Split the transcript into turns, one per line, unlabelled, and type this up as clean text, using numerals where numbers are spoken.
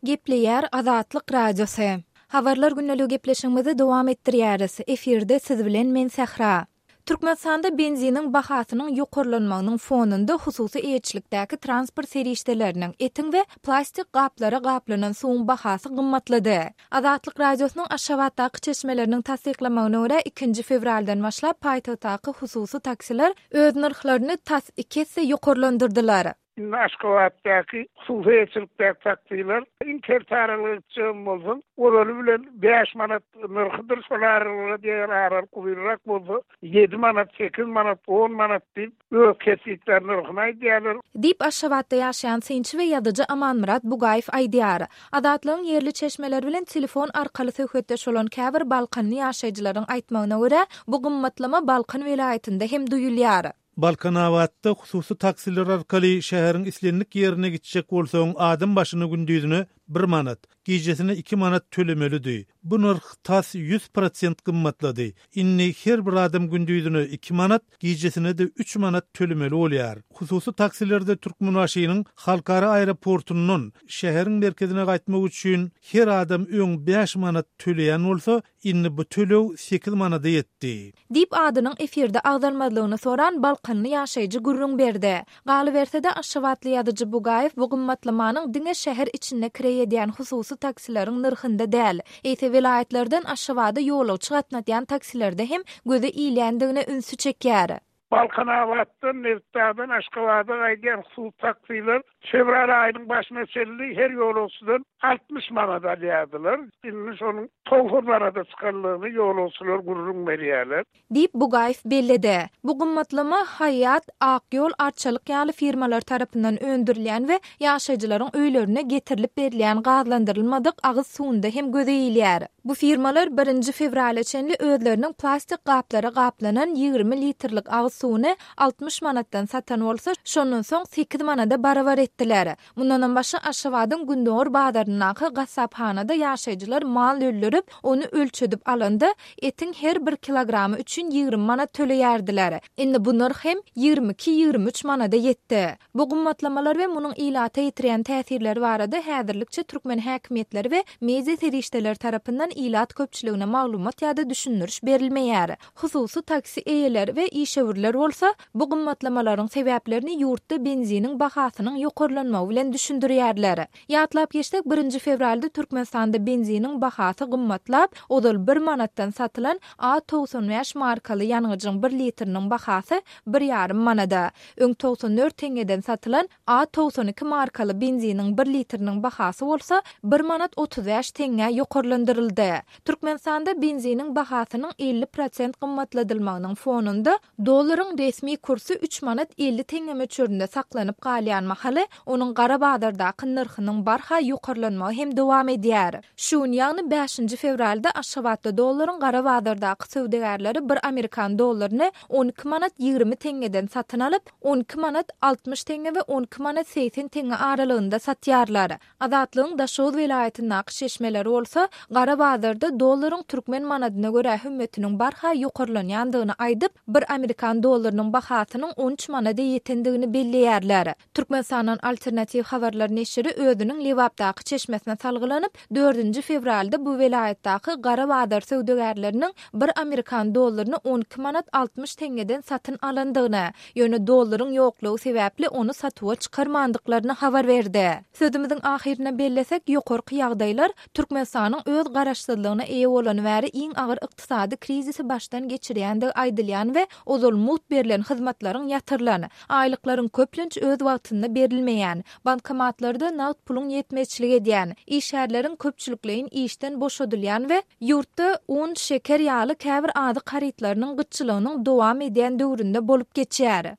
Gepleýär Azatlyk Radiosy. Habarlar gündeligi gepleşigimizi dowam etdirýäris. Efirde siz bilen men Sähra. Türkmenistanda benziniň bahasynyň ýokarlanmagynyň fonunda hususy eýeçilikdäki transport serişdeleriniň, etiň we plastik gaplara gaplanan suwuň bahasy gymmatlady. Azatlyk Radiosynyň Aşgabatdaky çeşmeleriniň tassyklamagyna görä, ikinji fewraldan başlap paýtagtdaky hususy taksiler öz nyrhlaryny tas iki esse ýokarlandyrdylar.
Indi Aşgabatdaky hususy eýeçilikdäki taksiler iň kert aralyga gitjegem bolsaň, ozaly bilen bäş manat nyrhydyr, şol aralyga eger aralyk uzynrak bolsa, ýedi manat, sekiz manat, on manat diýip, öz kesgitlän nyrhyny aýdýarlar.
Diýip, Aşgabatda ýaşaýan synçy we ýazyjy Amanmyrat Bugaýew aýdýar. Azatlygyň ýerli çeşmeleri bilen telefon arkaly söhbetdeş bolan käbir balkanly ýaşaýjylaryň aýtmagyna görä, bu gymmatlama Balkan welaýatynda hem duýulýar.
Balkanabatda hususy taksiler arkaly şäheriň islendik ýerine gitjek bolsaň adam başyna gündizine bir manat, gijesine iki manat tölemelidi. Bu nyrh tas 100 prosent gymmatlady. Indi her bir adam gündizine iki manat, gijesine-de üç manat tölemeli bolýar. Hususy taksilerde Türkmenbaşynyň halkara aeroportundan şäheriň merkezine gaýtmak üçin her adam öň bäş manat töleýän bolsa, Indi bu töleg sekiz manada ýetdi.
Diýip, adynyň efirde agzalmazlygyny soran balkanly ýaşaýjy gürrüň berdi. Galyberse-de, aşgabatly ýazyjy Bugaýew bu gymmatlamanyň diňe şäher içinde kireý edýän hususy taksileriň nyrhynda däl, eýse welaýatlardan Aşgabada ýolagçy gatnatýan taksilerde hem göze ilýändigine ünsi çekýär.
Balkanabatdan, Nebitdagdan Aşgabada gaýdýan hususy taksiler fewral aýynyň başyna çenli her ýolagçydan 60 manat alýardylar. Indi şonuň 90 manada çykandygyny ýolagçylar gürrüň berýärler.
Diýip, Bugaýew belledi. Bu gymmatlama Haýýat, Ak ýol, Arçalyk ýaly firmalar tarapyndan öndürilýän we ýaşaýjylaryň öýlerine getirilip berilýän gazlandyrylmadyk agyz suwunda hem göze ilýär. Bu firmalar birinji fewrala çenli özleriniň plastik gaplara gaplanan 20 litrlik agyz suwuny 60 manatdan satan bolsa, şondan soň sekiz manada barabar etdiler. Mundanam başga Aşgabadyň gündogar bazaryndaky gassaphanada ýaşaýjylar mal öldürip, ony ölçedip alanda, etiň her bir kilogramy üçin 20 manat töleýärdiler. Indi bu nyrh hem 22-23 manada ýetdi. Bu gymmatlamalar we munuň ilata ýetirýän täsirleri barada häzirlikçe türkmen häkimiýetleri we media serişdeleri tarapyndan ilat köpçüligine maglumat ýa-da düşündiriş berilmeýär. Hususy taksi eýeleri we işewürler bolsa, bu gymmatlamalaryň sebäplerini ýurtda benziniň bahasynyň ýokarlanmagy bilen düşündirýärler. Ýatlap geçsek, birinji fewralda Türkmenistanda benziniň bahasy gymmatlap, ozal bir manatdan satylan A 95 markaly ýangyjyň bir litriniň bahasy bir ýarym manada, Öň 94 teňňeden satylan A 92 markaly benziniň bir litriniň bahasy bolsa bir manat 35 teňňä ýokarlandyryldy. Türkmenistanda benziniň bahasynyň 50 prosent gymmatladylmagynyň fonunda dollaryň resmi kursy üç manat 50 teňňe möçberinde saklanyp galýan mahaly, onuň gara bazardaky nyrhynyň barha ýokarlanmagy hem dowam edýär. Şu gün, ýagny bäşinji fewralda Aşgabatda dollaryň gara bazardaky söwdagärleri bir amerikan dollaryny 12 manat 20 teňňeden satyn alyp, 12 manat 60 teňňe we 12 manat 80 teňňe aralygynda satýarlar. Azatlygyň Daşoguz welaýatyndaky çeşmeleri bolsa, gara bazarda dollaryň türkmen manadyna görä hümmetiniň barha ýokarlanýandygyny aýdyp, bir amerikan dollarynyň bahasynyň 13 manada ýetendigini belleýärler. Türkmenistandan Alternatiw habarlar neşiri özüniň Lebapdaky çeşmesine salgylanyp, dördünji fewralda bu welaýatdaky gara bazar söwdagärleriniň bir amerikan dollaryny 12 manat 60 teňňeden satyn alandygyny, ýöne dollaryň ýoklugy sebäpli ony satuwa çykarmandyklaryny habar berdi. Sözümiziň ahyrynda bellesek, ýokarky ýagdaýlar Türkmenistanyň öz garaşsyzlygyna eýe bolany bäri iň agyr ykdysady krizisi başdan geçirýändigi aýdylýan we ozal mugt berlen hyzmatlaryň ýatyrylan, Aýlyklaryň köplenç öz wagtynda berilmeýän, bankomatlarda nagt puluň ýetmezçilik edýän, işgärleriň köpçülikleýin işden boşadylýan we ýurtda un, şeker ýaly käbir azyk harytlarynyň gytçylygynyň dowam edýän döwründe bolup geçýär.